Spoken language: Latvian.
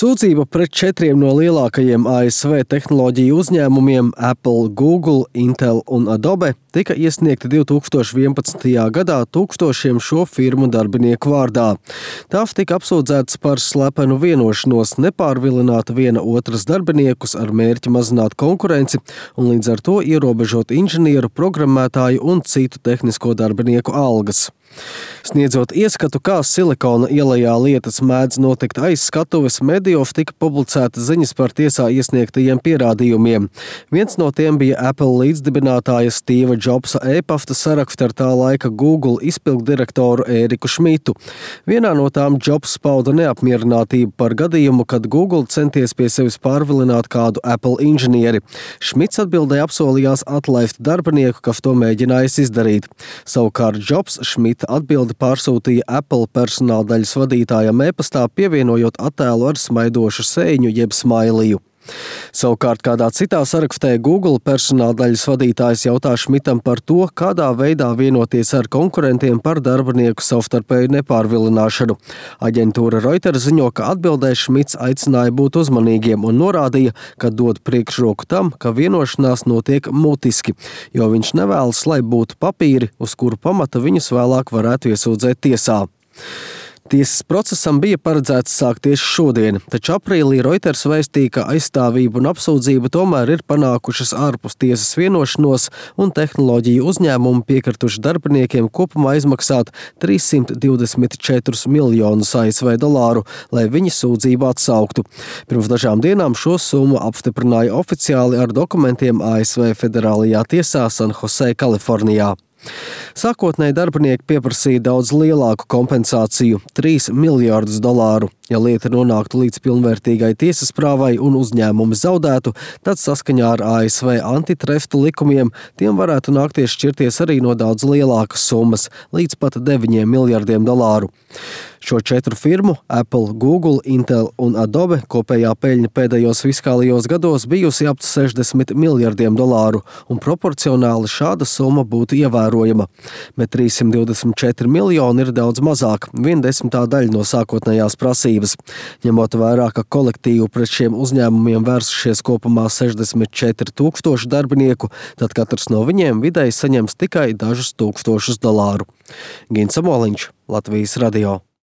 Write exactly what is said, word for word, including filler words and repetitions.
Sūdzība pret četriem no lielākajiem A S V tehnoloģiju uzņēmumiem – Apple, Google, Intel un Adobe – tika iesniegta divi tūkstoši vienpadsmitajā gadā tūkstošiem šo firmu darbinieku vārdā. Tās tika apsūdzētas par slepenu vienošanos nepārvilināt viena otras darbiniekus ar mērķi mazināt konkurenci un līdz ar to ierobežot inženieru, programmētāju un citu tehnisko darbinieku algas. Sniedzot ieskatu, kā Silikona ielejā lietas mēdz notikt aiz skatuves, medijos tika publicētas ziņas par tiesā iesniegtajiem pierādījumiem. Viens no tiem bija Apple līdzdibinātāja Steva Jobsa e-pasta saraksts ar tā laika Google izpilddirektoru Ēriku Šmitu. Vienā no tām Jobs pauda neapmierinātību par gadījumu, kad Google centies pie sevis pārvilināt kādu Apple inženieri. Šmits atbildē apsolījās atlaist darbinieku, kas to mēģinājis izdarīt. Savukārt Jobs Šmita atbildi pārsūtīja Apple personāldaļas vadītājam e-pastā, pievienojot attēlu ar smaidošu sēņu jeb smailiju. Savukārt kādā citā sarakstē Google personāldaļas vadītājs jautā Šmitam par to, kādā veidā vienoties ar konkurentiem par darbinieku savstarpēju nepārvilināšanu. Aģentūra Reuters ziņo, ka atbildē Šmits aicināja būt uzmanīgiem un norādīja, ka dod priekšroku tam, ka vienošanās notiek mutiski, jo viņš nevēlas, lai būtu papīri, uz kuru pamata viņus vēlāk varētu iesūdzēt tiesā. Tiesas procesam bija paredzēts sākties šodien, taču aprīlī Reuters vēstīja, ka aizstāvība un apsūdzība tomēr ir panākušas ārpus tiesas vienošanos un tehnoloģiju uzņēmumi piekrituši darbiniekiem kopumā izmaksāt trīssimt divdesmit četrus miljonus A S V dolāru, lai viņi sūdzību atsauktu. Pirms dažām dienām šo summu apstiprināja oficiāli ar dokumentiem A S V federālajā tiesā San Jose, Kalifornijā. Sākotnēji darbinieki pieprasīja daudz lielāku kompensāciju – trīs miljārdus dolāru. Ja lieta nonāktu līdz pilnvērtīgai tiesas prāvai un uzņēmumi zaudētu, tad saskaņā ar A S V antitrustu likumiem tiem varētu nākties šķirties arī no daudz lielākas summas – līdz pat deviņiem miljardiem dolāru. Šo četru firmu – Apple, Google, Intel un Adobe – kopējā peļņa pēdējos fiskālajos gados bijusi ap sešdesmit miljardiem dolāru, un proporcionāli šāda summa būtu ievērojama. Bet trīssimt divdesmit četri miljoni ir daudz mazāk, viena desmitā daļa no sākotnējās prasības. Ņemot vērā, ka kolektīvu pret šiem uzņēmumiem vērsušies kopumā sešdesmit četri tūkstoši darbinieku, tad katrs no viņiem vidēji saņems tikai dažus tūkstošus dolāru. Gins Samoliņš, Latvijas radio.